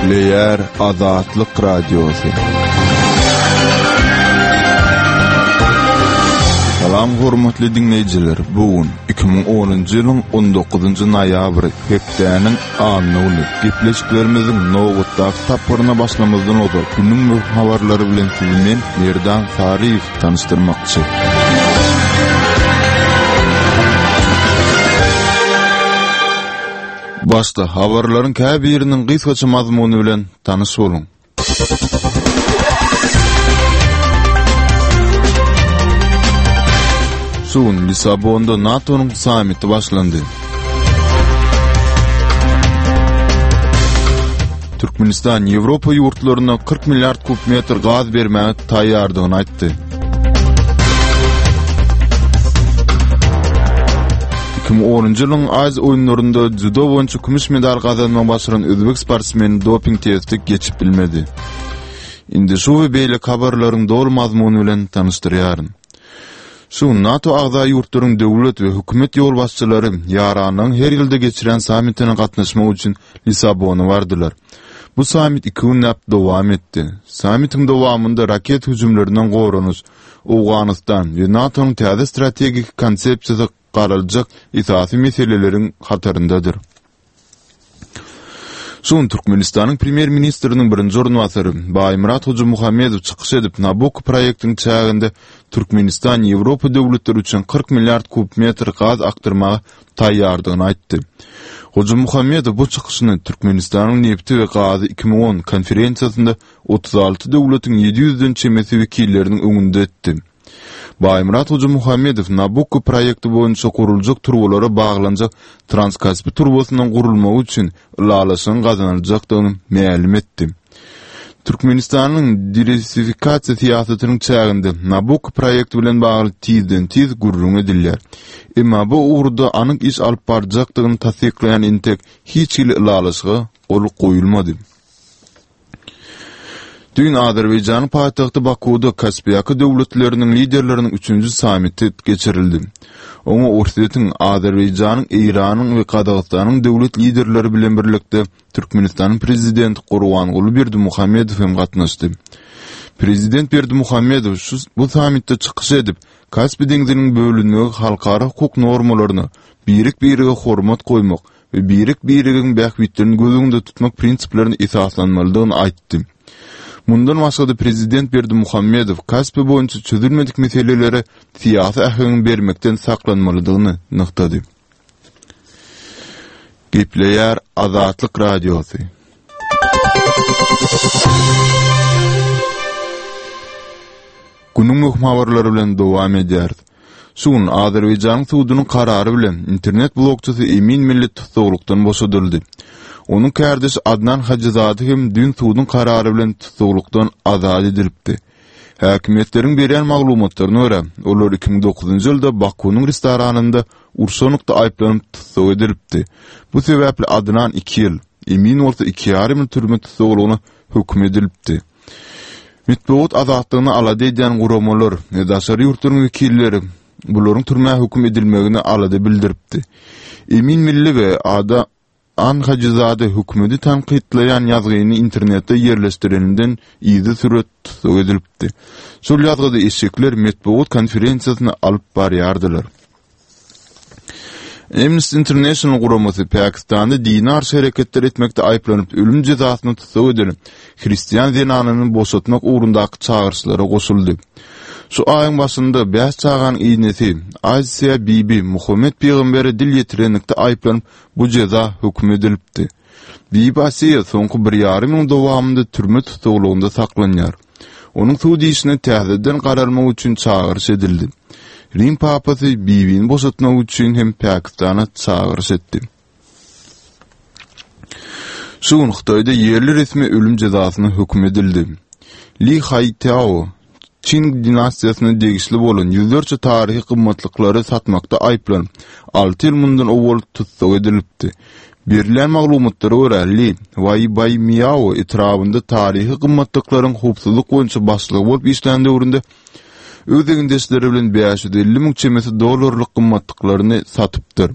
Gepleýär Azatlyk Radiosy. Salam hormatly diňleýjiler! Bu gün 2010-njy ýylyň 19-njy noýabry, hepdäniň anna güni. Gepleşiklerimiziň nobatdaky tapgyryna başlamazdan ozal, günüň möhüm habarlary bilen sizi men, Merdan Saryýew, tanyşdyrmakçy. Başda habarlaryň käbiriniň gysgaça mazmuny bilen tanyş boluň. Şu gün Lissabonda NATO-nyň sammiti başlandy. Türkmenistan Ýewropa ýurtlaryna 40 milliard kub metr gaz bermäge taýýardygyny aýtdy. 2010-njy ýylyň Aziýa oýunlarynda dzýudo boýunça kümüş medal gazanmagy başaran özbek sportsmeni doping testi geçip bilmedi. Indi şu we beýleki habarlaryň doly mazmuny bilen tanyşdyrýaryn. Şu gün NATO agza ýurtlaryň döwlet we hökümet ýolbaşçylary ýaranlygyň her ýylda geçirýän sammitine gatnaşmak üçin Lissabona bardylar. Bu sammit iki günläp dowam etdi. Sammitiň dowamynda raket hüjümlerinden goranyş, Owganystan we NATO-nyň täze strategik konsepsiýasy garaljak esasy meseleleriň hataryndadyr. Şu gün Türkmenistanyň Premýer-ministriniň birinji orunbasary Baýmyrat Hojamuhammedow çykyş edip, Nabukko proýektiniň çäginde Türkmenistan Ýewropa döwletleri üçin 40 milliard kub metr gaz akdyrmaga taýýardygyny aýtdy. Hojamuhammedow bu çykyşyny Türkmenistanyň nebti we gazy 2010 konferensiýasynda 36 döwletiň 700-den çemesi wekilleriniň öňünde etdi. Baýmyrat Hojamuhammedow Nabukko proýekti boýunça guruljak turbalara baglanjak Transkaspi turbasynyň gurulmagy üçin ylalaşygyň gazanyljakdygyny mälim etdi. Türkmenistanyň diwersifikasiýa syýasatynyň çäginde Nabukko proýekti bilen bagly tizden-tiz gürrüň edilýär. Emma bu ugurda anyk iş alyp barjakdygyny tassyklaýan entek hiç hili ylalaşyga gol goýulmady. Düýn Azerbaýjanyň paýtagty Bakuwda Kaspiýaka döwletleriniň liderleriniň üçünji sammiti geçirildi. Oňa Orsýetiň, Azerbaýjanyň, Eýranyň we Gazagystanyň döwlet liderleri bilen birlikde Türkmenistanyň Prezidenti Gurbanguly Berdimuhamedow hem gatnaşdy. Prezident Berdimuhamedow şu bu sammitde çykyş edip, Kaspi deňziniň bölünmegi halkara hukuk normalaryna, birek-birege hormat goýmak, we birek-biregiň bähbitlerini göz öňünde tutmak prinsiplerine esaslanmalydygyny aýtdy. Mundan başga-da prezident Berdimuhamedow Kaspi boýunça çözülmedik meselelere syýasy äheň bermekden saklanmalydygyny nygtady. Gepleýär Azatlyk Radiosy. Günüň möhüm habarlary bilen dowam edýäris. Şu gün Azerbaýjanyň sudunyň karary bilen internet blogçysy Emin Milli tussaglykdan boşadyldy. Onuň kärdeşi Adnan Hajyzade hem düýn suduň karary bilen tussaglykdan azat edilipdi. Häkimiýetleriň berýän maglumatlaryna görä, olar 2009-njy ýylda Bakunyň restoranynda urşanlykda aýyplanyp tussag edilipdi. Bu sebäpli Adnan iki ýyl, Emin bolsa iki ýarym ýyl türme tussaglygyna höküm edilipdi. Metbugat azatlygyny alada edýän guramalar we daşary ýurtlaryň wekilleri bularyň türmä höküm edilmegine alada bildiripdi. Emin Milli we Ada An Hajyzade hökümeti tankytlaýan ýazgyny internetde ýerleşdireninden yzysüre tussag edilipdi. Şol ýazgyda eşekler metbugat konferensiýasyny alyp barýardylar. Amnesty International guramasy Pakistanda dine garşy hereketler etmekde aýyplanyp ölüm jezasyna tussag edilen hristian zenanyny boşatmak ugrundaky çagyryşlara goşuldy. Şu aýyň başynda bäş çaganyň enesi Asia Bibi Muhammet pygambere dil ýetirenlikde aýyplanyp bu jeza höküm edilipdi. Bibi Asiýa soňky bir ýarym ýylyň dowamynda türme tussaglygynda saklanýar. Onuň sud işine täzeden garalmagy üçin çagyryş edildi. Rim papasy Bibini boşatmak üçin hem Pakistana çagyryş etdi. Şu gün Hytaýda ýerli resmi ölüm jezasyna höküm edildi. Li Haýtao Çing dinastiýasyna degişli bolan ýüzlerçe taryhy gymmatlyklary satmakda aýyplanyp, alty ýyl mundan owal tussag edilipdi. Berilýän maglumatlara görä, Li Waýbaýmiao etrabynda taryhy gymmatlyklaryň howpsuzlyk boýunça başlygy bolup işlän döwründe öz egindeşleri bilen 550 müň çemesi dollarlyk gymmatlyklaryny satypdyr.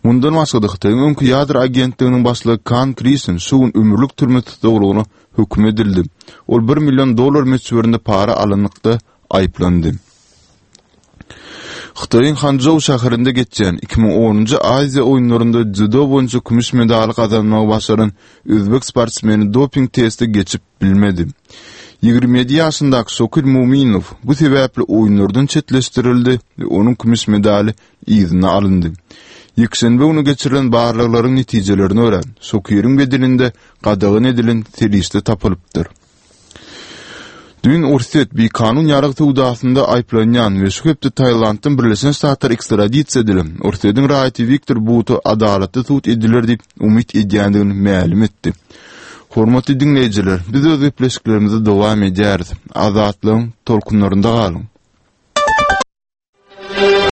Mundan başga-da, Hytaýyň öňki ýadro agentliginiň başlygy Kan Krisen şu gün ömürlik türme tussaglygyna höküm edildi. Ol bir million dollar möçberinde para alanlykda aýyplandy. Hytaýyň Hançžou şäherinde geçýän 2010-njy Aziýa oýunlarynda dzýudo boýunça kümüş medaly gazanmagy başaran özbek sportsmeni doping testi geçip bilmedi. 27 ýaşyndaky Şokir Muminow bu sebäpli oýunlardan çetleşdirildi we onuň kümüş medaly yzyna alyndy. Ýekşenbe güni geçirilen barlaglaryň netijelerine görä, Şokiriň bedeninde gadagan edilen serişde tapylypdyr. Düýn Orsýet bikanun ýarag söwdasynda aýyplanýan we şu hepde Tailanddan Birleşen Ştatlara ekstradisiýa edilen Orsýetiň raýaty Wiktor Buta adalatly sud ediler diýip umyt edýändigini mälim etdi. Hormatly diňleýjiler, biz öz gepleşiklerimizi dowam edýäris. Azatlygyň tolkunlarynda galyň!